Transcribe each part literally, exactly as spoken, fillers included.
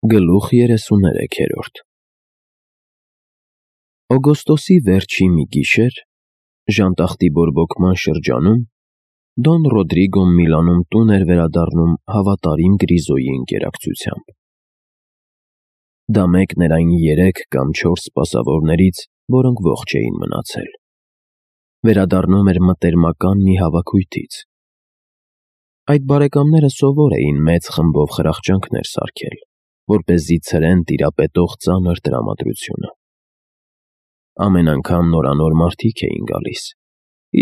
Գլուխ երեսուներեքերորդ Օգոստոսի վերջի մի գիշեր, ժանտախտի բորբոքման շրջանում, Դոն Ռոդրիգոն Միլանում տուն էր վերադառնում հավատարիմ Գրիզոյի ընկերակցությամբ։ Դա մեկն էր այն երեք կամ չորս սպասավորներից, որոնք ողջ էին մնացել։ Վերադառնում էր մտերմական մի հավաքույթից։ Այդ բարեկամները սովոր էին մեծ խմբով խրախճանքներ սարքել, որպեսզի ցրեն տիրապետող ծանր տրամադրությունը։ Ամեն անգամ նորանոր մարդիկ էին գալիս,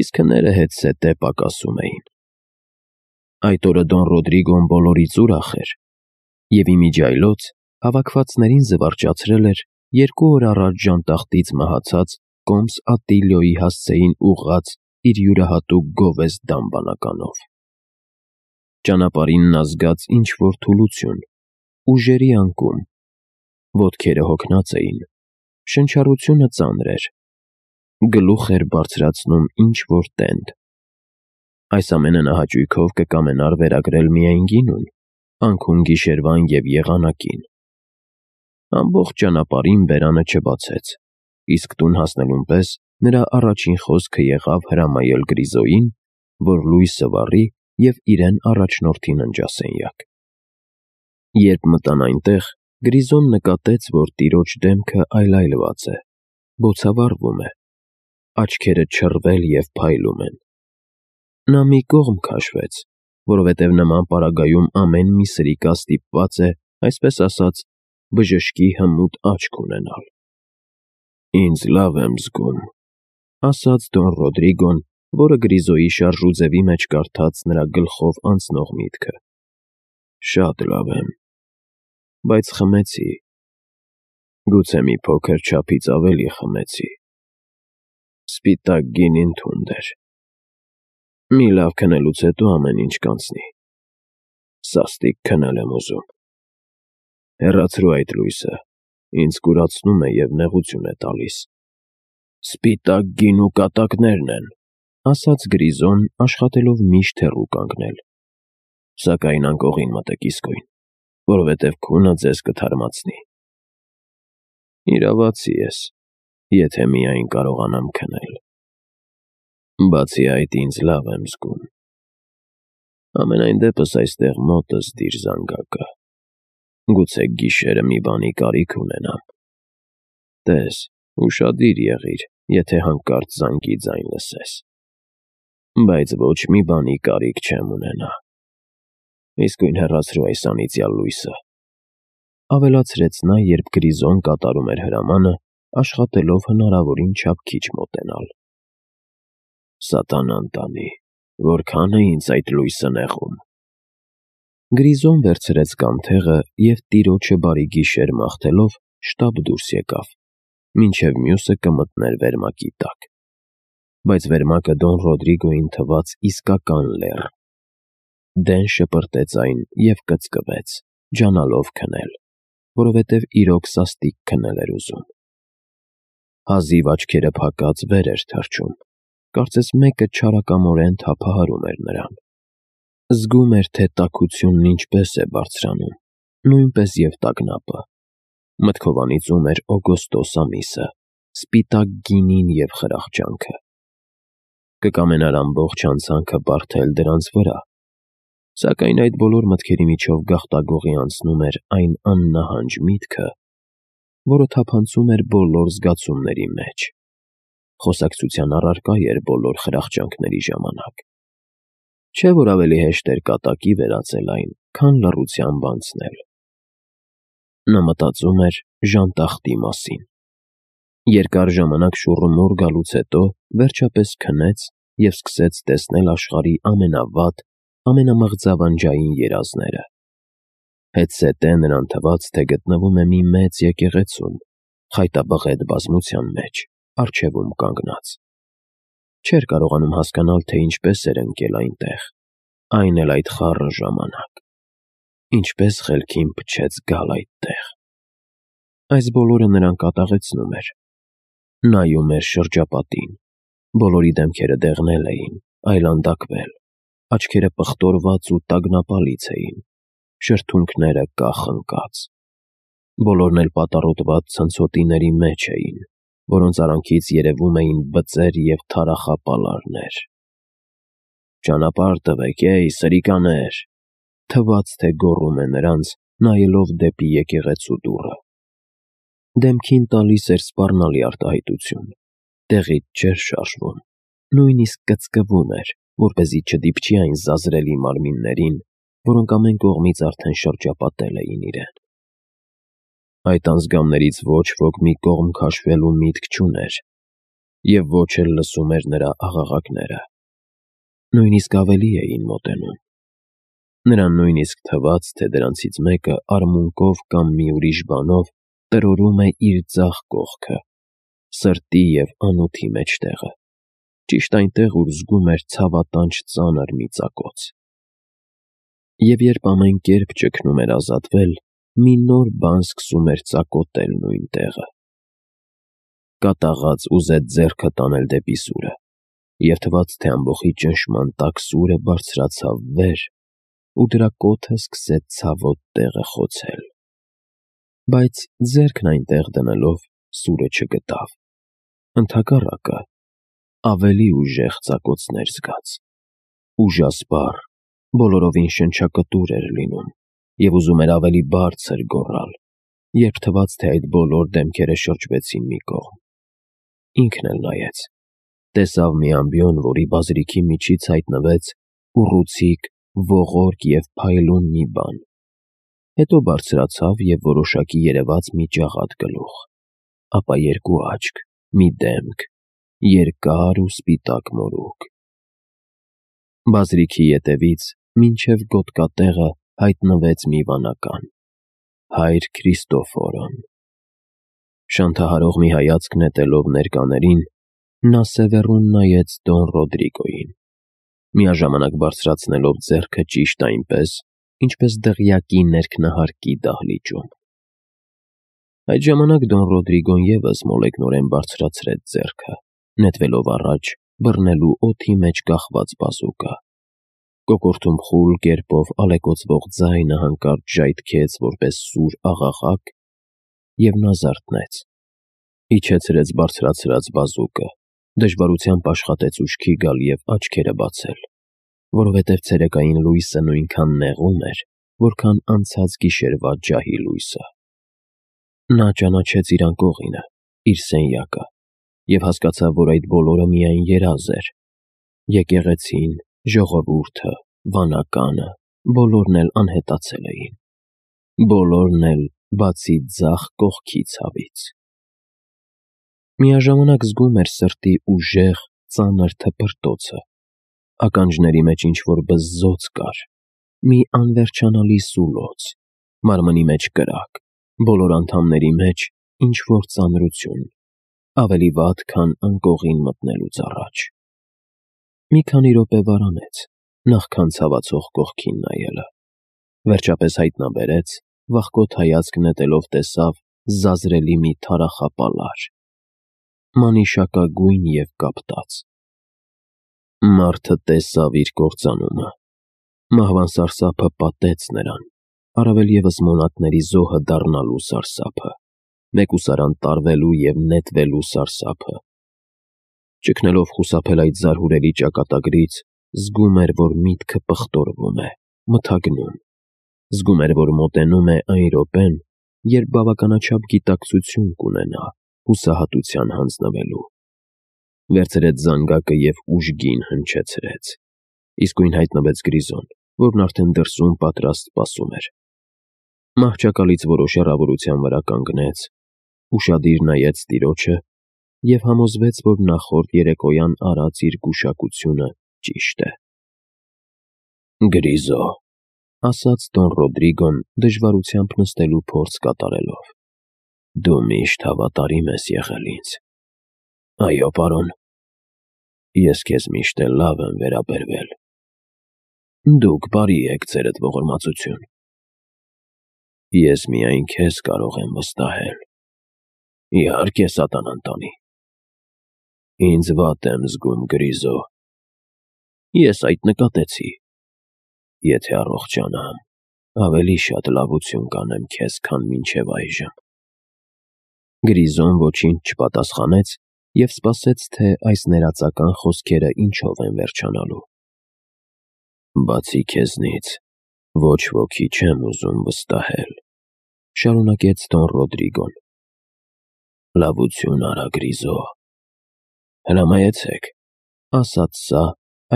իսկ հները հետզհետե պակասում էին։ Այդ օրը Դոն Ռոդրիգոն բոլորից ուրախ էր, և իմիջիայլոց հավաքվածներին զվարճացրել էր երկու օր առաջ ժանտախտից մահացած կոմս Ատիլիոյի հասցեին ուղղած իր յուրահատուկ գովեստ դամբանականով։ Ճանապարհին նա զգաց ինչ-որ թուլություն, ուժերի անկում, ոտքերը հոգնած էին, շնչառությունը ծանր էր, գլուխ էր բարձրացնում ինչ-որ տենդ։ Այս ամենը նա հաճույքով կկամենար վերագրել միայն գինուն, անքուն գիշերվան և եղանակին։ Ամբողջ ճանապարհին բերանը չբացեց, իսկ տուն հասնելուն պես նրա առաջին խոսքը եղավ հրամայել Գրիզոյին, որ լույսը վառի և իրեն առաջնորդի ննջասենյակ։ Երբ մտան այնտեղ, Գրիզոն նկատեց, որ տիրոջ դեմքը այլայլված է, բոցավառվում է, աչքերը չռվել և փայլում են։ Նա մի կողմ քաշվեց, որովհետև նման պարագայում ամեն մի սրիկա ստիպված է, այսպես ասած, բժշկի հմուտ աչք ունենալ։ «Ինձ լավ եմ զգում», ֊ ասաց Դոն Ռոդրիգոն, որը Գրիզոյի շարժուձևի մեջ կարդաց նրա գլխով անցնող միտքը։ «Շատ լավ եմ, բայց խմեցի, գուցե մի փոքր չափից ավելի խմեցի։ Սպիտակ գինին թունդ էր։ Մի լավ քնելուց հետո ամեն ինչ կանցնի։ Սաստիկ քնել եմ ուզում։ Հեռացրու այդ լույսը, ինձ կուրացնում է և նեղություն է տալիս»։ «Սպիտակ գինու կատակներն են», ֊ ասաց Գրիզոն, աշխատելով միշտ հեռու կանգնել։ «Սակայն անկողին մտեք իսկույն, որովհետև քունը ձեզ կթարմացնի»։ «Իրավացի ես, եթե միայն կարողանամ քնել։ Բացի այդ, ինձ լավ եմ զգում։ Համենայն դեպս այստեղ մոտս դիր զանգակը, գուցե գիշերը մի բանի կարիք ունենամ։ Տես, ուշադիր եղիր, եթե հանկարծ զանգի ձայն լսես։ Բայց ոչ մի բանի կարիք չեմ ունենա։ Իսկույն հեռացրու այս անիծյալ լույսը», ֊ ավելացրեց նա, երբ Գրիզոն կատարում էր հրամանը, աշխատելով հնարավորին չափ քիչ մոտենալ։ «Սատանան տանի, որքան է ինձ այդ լույսը նեղում»։ Գրիզոն վերցրեց կանթեղը և տիրոջը բարի գիշեր մաղթելով շտապ դուրս եկավ, մինչև մյուսը կմտներ վերմակի տակ։ Բայց վերմակը Դոն Ռոդրիգոյին թվաց իսկական լեռ։ Դեն շպրտեց այն և կծկվեց, ջանալով քնել, որովհետև իրոք սաստիկ քնել էր ուզում։ Հազիվ աչքերը փակած վեր էր թռչում, կարծես մեկը չարակամորեն թափահարում էր նրան։ Զգում էր, թե տաքությունն ինչպես է բարձրանում, նույնպես և տագնապը։ Մտքով անիծում էր օգոստոս ամիսը, սպիտակ գինին և խրախճանքը։ Կկամենար ամբողջ անցանքը բարդել դրանց վրա, սակայն այդ բոլոր մտքերի միջով գաղտագողի անցնում էր այն աննահանջ միտքը, որը թափանցում էր բոլոր զգացումների մեջ, խոսակցության առարկա էր բոլոր խրախճանքների ժամանակ։ Չէ՞ որ ավելի հեշտ էր կատակի վերածել այն, քան լռությամբ անցնել։ Նա մտածում էր ժանտախտի մասին։ Երկար ժամանակ շուռումուռ գալուց հետո վերջապես քնեց և սկսեց տեսնել աշխարհի ամենավատ, ամենամղձավանջային երազները։ Հետզհետե նրան թվաց, թե գտնվում է մի մեծ եկեղեցում, խայտաբղետ բազմության մեջ, առջևում կանգնած։ Չէր կարողանում հասկանալ, թե ինչպես էր ընկել այնտեղ, այն էլ այդ խառը ժամանակ։ Ինչպես խելքին փչեց գալ այդտեղ։ Այս բոլորը նրան կատաղեցնում էր։ Նայում էր շրջապատին։ Բոլորի դեմքերը դեղնել էին, այլանդակվել, աչքերը պղտորված ու տագնապալից էին, շրթունքները կախ ընկած։ Բոլորն էլ պատառոտված ցնցոտիների մեջ էին, որոնց արանքից երևում էին բծեր և թարախապալարներ։ «Ճանապարհ տվեք, էյ, սրիկաներ», թվաց, թե գոռում է նրանց, նայելով դեպի եկեղեցու դուռը։ Դեմքին տալիս էր սպառնալի արտահայտություն, տեղից չէր շարժվում, նույնիսկ կծկվում էր, որպեսզի չդիպչի այն զազրելի մարմիններին, որոնք ամեն կողմից արդեն շրջապատել էին իրեն։ Այդ անձգամներից ոչ ոք մի կողմ քաշվելու միտք չուներ, և ոչ էլ լսում էր նրա աղաղակները։ Նույնիսկ ավելի էին մոտենում։ Նրան նույնիսկ թվաց, թե դրանցից մեկը արմունկով կամ մի ուրիշ բանով տրորում է իր ձախ կողքը, սրտի և անոթի մեջտեղը, ճիշտ այնտեղ, ուր զգում էր ցավատանչ ծանր մի ծակոց։ Եվ երբ ամեն կերպ ճգնում էր ազատվել, մի նոր բան սկսում էր ծակոտել նույն տեղը։ Կատաղած ուզեց ձեռքը տանել դեպի սուրը, և թվաց, թե ամբոխի ճնշման տակ սուրը բարձրացավ վեր ու դրա կոթը սկսեց ցավոտ տեղը խոցել։ Բայց ձեռքն այնտեղ դնելով՝ սուրը չգտավ։ Ընդհակառակը, ավելի ուժեղ ծակոցներ զգաց։ Ուժասպառ, բոլորովին շնչակտուր էր լինում և ուզում էր ավելի բարձր գոռալ, երբ թվաց, թե այդ բոլոր դեմքերը շրջվեցին մի կողմ։ Ինքն էլ նայեց, տեսավ մի ամբիոն, որի բազրիքի միջից հայտնվեց ուռուցիկ, ողորկ և փայլուն մի բան, հետո բարձրացավ և որոշակի երևաց մի ջաղատ գլուխ, ապա երկու աչք, մի դեմք, երկար ու սպիտակ մորուք։ Բազրիքի ետևից մինչև գոտկատեղը հայտնվեց մի վանական՝ Հայր Քրիստոֆորոն։ Շանթահարող մի հայացք նետելով ներկաներին, նա սևեռուն նայեց Դոն Ռոդրիգոյին, միաժամանակ բարձրացնելով ձեռքը ճիշտ այնպես, ինչպես դղյակի ներքնահարկի դահլիճում։ Այդ ժամանակ Դոն Ռոդրիգոն ևս մոլեգնորեն բարձրացրեց ձեռքը, նետվելով առաջ բռնելու օդի մեջ կախված բազուկը։ Կոկորդում խուլ կերպով ալեկոծվող ձայնը հանկարծ ժայթքեց որպես սուր աղաղակ, և նա զարթնեց, իջեցրեց բարձրացրած բազուկը, դժվարությամբ աշխատեց ուշքի գալ և աչքերը բացել, որովհետև ցերեկային լույսը նույնքան նեղում էր, որքան անցած գիշերվա ջահի լույսը։ Նա ճանաչեց իր անկողինը, իր սենյակը, և հասկացավ, որ այդ բոլորը միայն երազ էր։ Եկեղեցին, ժողովուրդը, վանականը, բոլորն էլ անհետացել էին։ Բոլորն էլ, բացի ձախ կողքի ցավից։ Միաժամանակ զգում էր սրտի ուժեղ, ծանր թպրտոցը, ականջների մեջ ինչ-որ բզզոց կար, մի անվերջանալի սուլոց, մարմնի մեջ կրակ, բոլոր անդամների մեջ ինչ-որ ծանրություն, ավելի վատ, քան անկողին մտնելուց առաջ։ Մի քանի րոպե վարանեց, նախքան ցավացող կողքին նայելը, վերջապես հայտնաբերեց, վախկոտ հայացք նետելով տեսավ զազրելի մի թարախապալար, մանիշակագույն և կապտած։ Մարդը տեսավ իր կործանումը, մահվան սարսափը պատեց նրան, առավել ևս մոնատների զոհը դառնալու սարսափը, մեկուսարան տարվելու և նետվելու սարսափը։ Ճգնելով խուսափել այդ զարհուրելի ճակատագրից, զգում էր, որ միտքը պղտորվում է, մթագնում, զգում էր, որ մոտենում է այն րոպեն, երբ բավականաչափ գիտակցություն կունենա հուսահատության հանձնվելու։ Վերցրեց զանգակը և ուժգին հնչեցրեց։ Իսկույն հայտնվեց Գրիզոն, որն արդեն դրսում պատրաստ սպասում էր։ Մահճակալից որոշ հեռավորության վրա կանգնեց, ուշադիր նայեց տիրոջը և համոզվեց, որ նախորդ երեկոյան արած իր գուշակությունը ճիշտ է։ «Գրիզո», ասաց Դոն Ռոդրիգոն դժվարությամբ նստելու փորձ կատարելով, «դու միշտ հավատարիմ ես եղել ինձ»։ «Այո, պարոն»։ «Ես քեզ միշտ էլ լավ եմ վերաբերվել»։ «Դուք բարի եք, ձերդ ողորմածություն»։ «Ես միայն քեզ կարող եմ վստահել»։ «Իհարկե, սատանան տանի»։ «Ինձ վատ եմ զգում, Գրիզո»։ «Ես այդ նկատեցի»։ «Եթե առողջանամ, ավելի շատ լավություն կանեմ քեզ, քան մինչև այժմ։ Գրիզոն ոչինչ չպատասխանեց և սպասեց, թե այս ներածական խոսքերը ինչով են վերջանալու։ Բացի քեզնից, ոչ ոքի չեմ ուզում վստահել, շարունակեց Դոն Ռոդրիգոն։ Լավություն արա, Գրիզո։ Հրամայեցեք, ասաց սա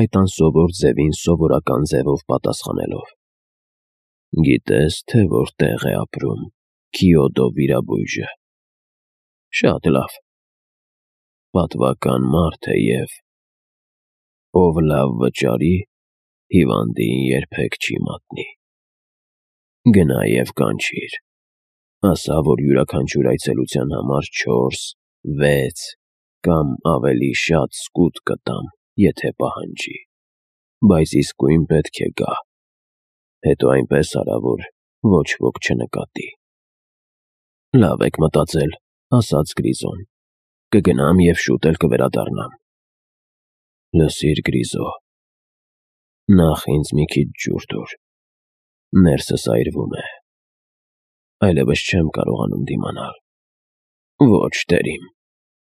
այդ անսովոր ձևին սովորական ձևով պատասխանելով։ Գիտես, թե որտեղ է ապրում Քիոդո վիրաբույժը։ Շատ լավ։ Պատվական մարդ է և ով լավ վճարի, հիվանդին երբեք չի մատնի։ Գնա և կանչիր, ասա, որ յուրաքանչյուր այցելության համար չորս, վեց կամ ավելի շատ սկուտ կտամ, եթե պահանջի, բայց իսկույն պետք է գա։ Հետո այնպես արա, որ ոչ ոք չնկատի։ Լավ եք մտածել, ասաց Գրիզոն, կգնամ և շուտ էլ կվերադառնամ։ Լսիր, Գրիզո, նախ ինձ մի քիչ ջուր տուր, ներսս այրվում է, այլևս չեմ կարողանում դիմանալ։ Ոչ, տերիմ,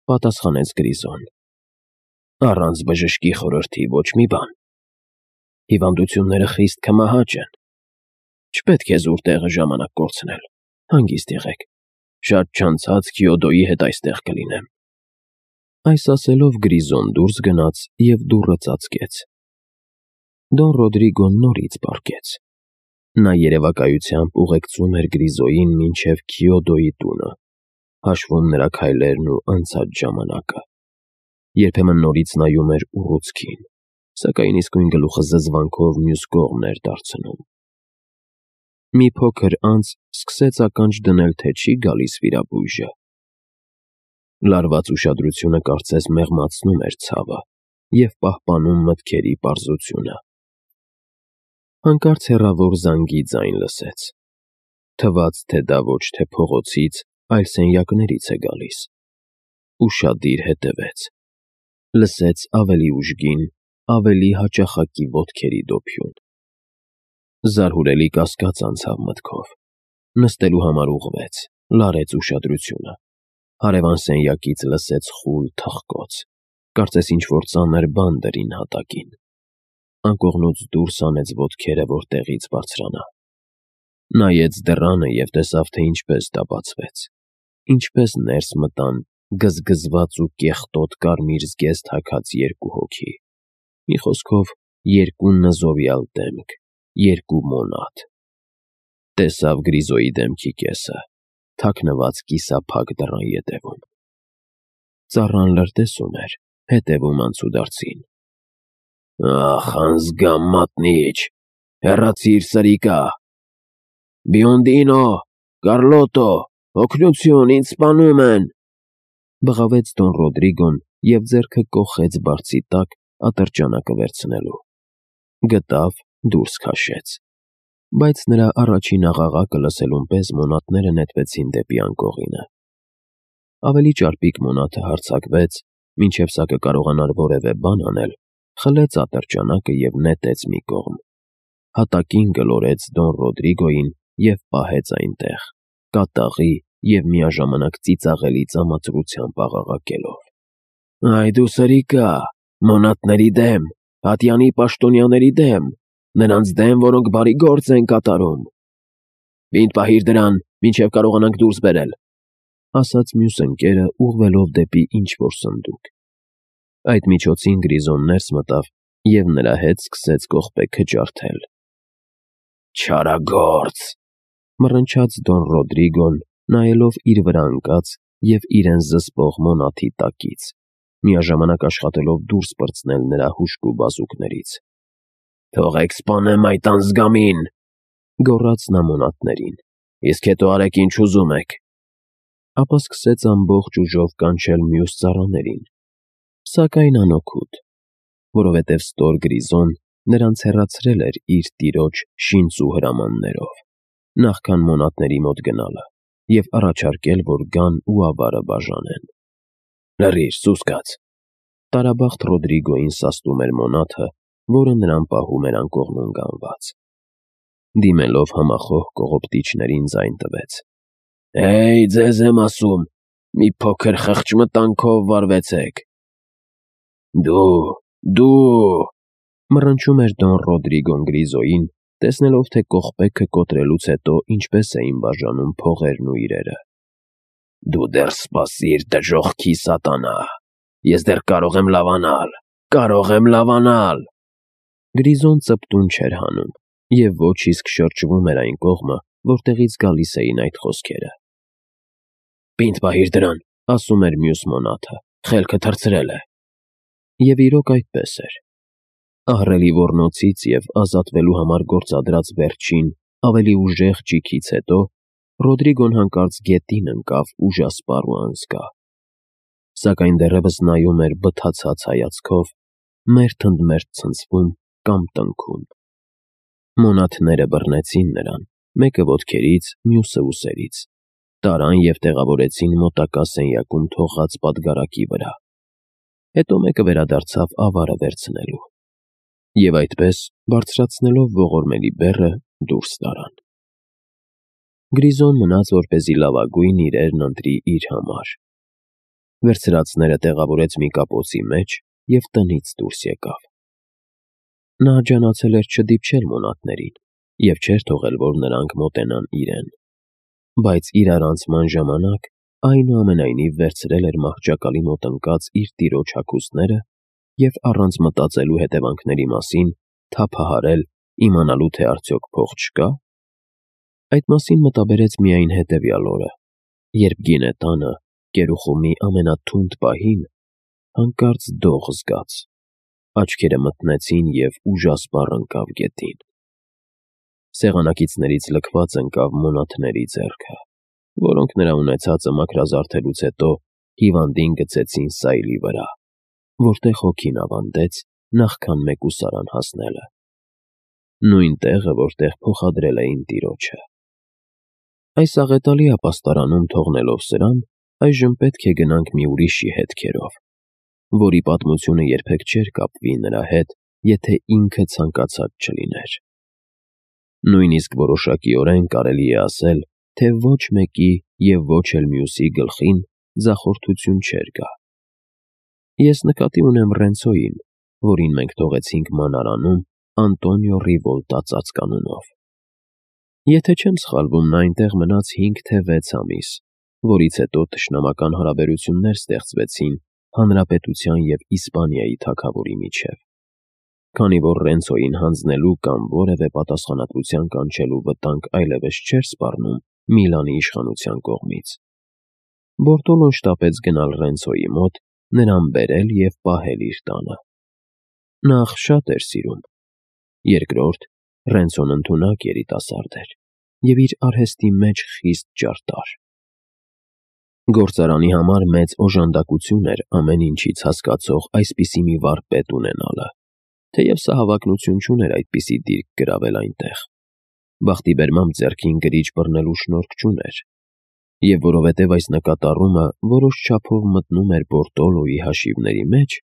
պատասխանեց Գրիզոն, առանց բժշկի խորհրդի ոչ մի բան։ Հիվանդությունները խիստ քմահաճ են։ Չպետք է զուր տեղը ժամանակ կորցնել, հանգիստ եղեք, շատ չանցած Քիոդոյի հետ այստեղ կլինեմ։ Այս ասելով Գրիզոն դուրս գնաց և դուռը ծածկեց։ Դոն Ռոդրիգոն նորից պառկեց։ Նա երևակայությամբ ուղեկցում էր Գրիզոյին մինչև Քիոդոյի տունը, հաշվում նրա քայլերն ու անցած ժամանակը։ Երբեմն նորից նայում էր ուռուցքին, սակայն իսկույն գլուխը զզվանքով մյուս կողմն էր դարձնում։ Մի փոքր անց սկսեց ականջ դնել, թե չի գալիս վիրաբույժը։ Լարված ուշադրությունը կարծես մեղմացնում էր ցավը և պահպանում մտքերի պարզությունը։ Հանկարծ հեռավոր զանգի ձայն լսեց։ Թվաց, թե դա ոչ թե փողոցից, այլ սենյակներից է գալիս։ Ուշադիր հետևեց։ Լսեց ավելի ուժգին, ավելի հաճախակի ոտքերի դոփյուն։ Զարհուրելի կասկած անցավ մտքով։ Նստելու համար ուղղվեց, լարեց ուշադրությունը։ Հարևան սենյակից լսեց խուլ թխկոց, կարծես ինչ-որ ծանր բան դրին հատակին։ Անկողնուց դուրս հանեց ոտքերը, որ տեղից բարձրանա։ Նայեց դռանը և տեսավ, թե ինչպես դա բացվեց, ինչպես ներս մտան գզգզված ու կեղտոտ կարմիր զգեստ հագած երկու հոգի, մի խոսքով երկու նզովյալ դեմք, երկու մոնատ։ Տեսավ Գրիզոյի դեմքի կեսը, թաքնված կիսափակ դռան ետևում։ Ծառան լրտեսում էր, հետևում անցուդարձին։ Ախ, անզգամ մատնիչ, հեռացիր սրիկա։ Բիոնդինո, Կարլոտո, օգնություն, ինձ սպանում են, բղավեց Դոն Ռոդրիգոն և ձեռքը կոխեց բարձի տակ ատրճանակը վերցնելու։ Գտավ, դուրս քաշեց։ Բայց նրա առաջին աղաղակը լսելուն պես մոնատները նետվեցին դեպի անկողինը։ Ավելի ճարպիկ մոնաթը հարձակվեց, մինչև սա կկարողանար որևէ բան անել, խլեց ատրճանակը և նետեց մի կողմ։ Հատակին գլորեց Դոն Ռոդրիգոյին և պահեց այնտեղ, կատաղի և միաժամանակ ծիծաղելի ծամացրությամբ աղաղակելով։ Այ դու սրիկա, մոնատների դեմ, ատյանի պաշտոնյաների դեմ, նրանց դեմ, որոնք բարի գործ են կատարում։ Պինդ պահիր դրան, մինչև կարողանանք դուրս բերել, ասաց մյուս ընկերը, ուղղվելով դեպի ինչ-որ սնդուկ։ Այդ միջոցին Գրիզոն ներս մտավ և նրա հետ սկսեց կողպեքը ջարդել։ Չարագործ, մռնչաց Դոն Ռոդրիգոն, նայելով իր վրա ընկած և իրեն զսպող մոնաթի տակից, միաժամանակ աշխատելով դուրս պրծնել նրա հուժկու բազուկներից։ Թողեք սպանեմ այդ անզգամին, գոռաց նա մոնատներին, իսկ հետո արեք ինչ ուզում եք։ Ապա սկսեց ամբողջ ուժով կանչել մյուս ծառաներին, սակայն անօգուտ, որովհետև ստոր Գրիզոն նրանց հեռացրել էր իր տիրոջ շինծու հրամաններով, նախքան մոնատների մոտ գնալը, և առաջարկել, որ գան ու ավարը բաժանեն։ Լռիր, սուսկաց, տարաբախտ Ռոդրիգոյին սաստում էր մոնաթը, որը նրան պահում էր անկողնում գանված։ դիմելով համախոհ կողոպտիչներին ձայն տվեց. «Հեյ, ձեզ եմ ասում, մի փոքր խղճմտանքով վարվեցեք»։ «Դու, դու», մռնչում էր Դոն Ռոդրիգոն Գրիզոյին, տեսնելով, թե կողպեքը կոտրելուց հետո ինչպես էին բաժանում փողերն ու իրերը։ «Դու դեռ սպասիր, դժոխքի սատանա, ես դեռ կարող եմ լավանալ, կարող եմ լավանալ»։ Գրիզոն ծպտուն չէր հանում և ոչ իսկ շրջվում էր այն կողմը, որտեղից գալիս էին այդ խոսքերը։ «Պինդ պահիր դրան», ասում էր մյուս մոնաթը, «խելքը թռցրել է»։ Եվ իրոք այդպես էր։ Ահռելի ոռնոցից և ազատվելու համար գործադրած վերջին, ավելի ուժեղ ճիգից հետո Ռոդրիգոն հանկարծ գետին ընկավ ուժասպառ ու անզգա։ Սակայն դեռևս նայում էր բթացած հայացքով, մերթ ընդ մերթ ցնցվում կամ տնքում։ Մոնաթները բռնեցին նրան, մեկը ոտքերից, մյուսը ուսերից, տարան և տեղավորեցին մոտակա սենյակում թողած պատգարակի վրա։ Հետո մեկը վերադարձավ ավարը վերցնելու։ Եվ այդպես, բարձրացնելով ողորմելի բեռը, դուրս տարան։ Գրիզոն մնաց, որպեսզի լավագույն իրերն ընտրի իր համար։ Վերցրածները տեղավորեց մի կապոցի մեջ և տնից դուրս եկավ։ Նա ջանացել էր չդիպչել մոնաթներին և չէր թողել, որ նրանք մոտենան իրեն։ Բայց իրարանցման ժամանակ, այնուամենայնիվ, վերցրել էր մահճակալի մոտ ընկած իր տիրոջ հագուստները և առանց մտածելու հետևանքների մասին, թափահարել, իմանալու, թե արդյոք փող չկա։ Այդ մասին մտաբերեց միայն հետևյալ օրը, երբ գինետանը, կերուխումի ամենաթունդ պահին, հանկարծ դող զգաց, աչքերը մթնեցին և ուժասպառ ընկավ գետին։ Սեղանակիցներից լքված ընկավ մոնաթների ձեռքը, որոնք նրա ունեցածը մաքրազարդելուց հետո հիվանդին գցեցին սայլի վրա, որտեղ հոգին ավանդեց նախքան մեկուսարան հասնելը։ Նույն տեղը, որտեղ փոխադրել էին տիրոջը։ Այս աղետալի ապաստարանում թողնելով սրան, այժմ պետք է գնանք մի ուրիշի հետքերով, որի պատմությունը երբեք չէր կապվի նրա հետ, եթե ինքը ցանկացած չլիներ։ Նույնիսկ որոշակիորեն կարելի է ասել, թե ոչ մեկի և ոչ էլ մյուսի գլխին ձախորդություն չէր գա։ Ես նկատի ունեմ Ռենցոյին, որին մենք թողեցինք մանարանում Անտոնիո Ռիվոլտա ծածկանունով։ Եթե չեմ սխալվում, նա այնտեղ մնաց հինգ թե վեց ամիս, որից հետո թշնամական հարաբերություններ ստեղծվեցին Հանրապետության և Իսպանիայի թագավորի միջև։ Քանի որ Ռենցոյին հանձնելու կամ որևէ պատասխանատվության կանչելու վտանգ այլևս չէր սպառնում Միլանի իշխանության կողմից, Բորտոլոն շտապեց գնալ Ռենցոյի մոտ, նրան բերել և պահել իր տանը։ Նախ, շատ էր սիրում։ Երկրորդ, Ռենցոն ընդունակ երիտասարդ էր և իր արհեստի մեջ խիստ ճարտար։ Գործարանի համար մեծ օժանդակություն էր ամեն ինչից հասկացող այսպիսի մի վարպետ ունենալը, թեև սա հավակնություն չուներ այդպիսի դիրք գրավել այնտեղ։ Բախտի բերմամբ ձեռքին գրիչ բռնելու շնորհք չուներ, և որովհետև այս նկատառումը որոշ չափով մտնում էր Բորտոլոյի հաշիվների մեջ,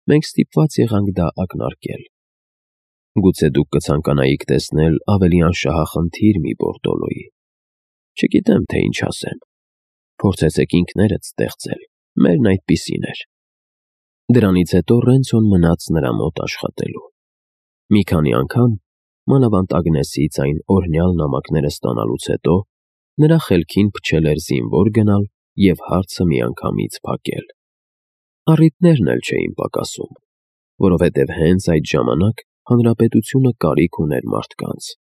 մենք ստիպված եղանք դա ակնարկել։ Գուցե դուք կցանկանայիք տեսնել ավելի անշահախնդիր մի Բորտոլոյի։ Չգիտեմ, թե ինչ ասեմ։ Փորձեցեք ինքներդ ստեղծել, մերն այդպիսին էր։ Դրանից հետո Ռենցոն մնաց նրա մոտ աշխատելու։ Մի քանի անգամ, մանավանդ Ագնեսից այն օրհնյալ նամակները ստանալուց հետո, նրա խելքին փչել էր զինվոր գնալ և հարցը միանգամից փակել։ Առիթներն էլ չէին պակասում, որովհետև հենց այդ ժամանակ հանրապետությունը կարիք ուներ մարդկանց,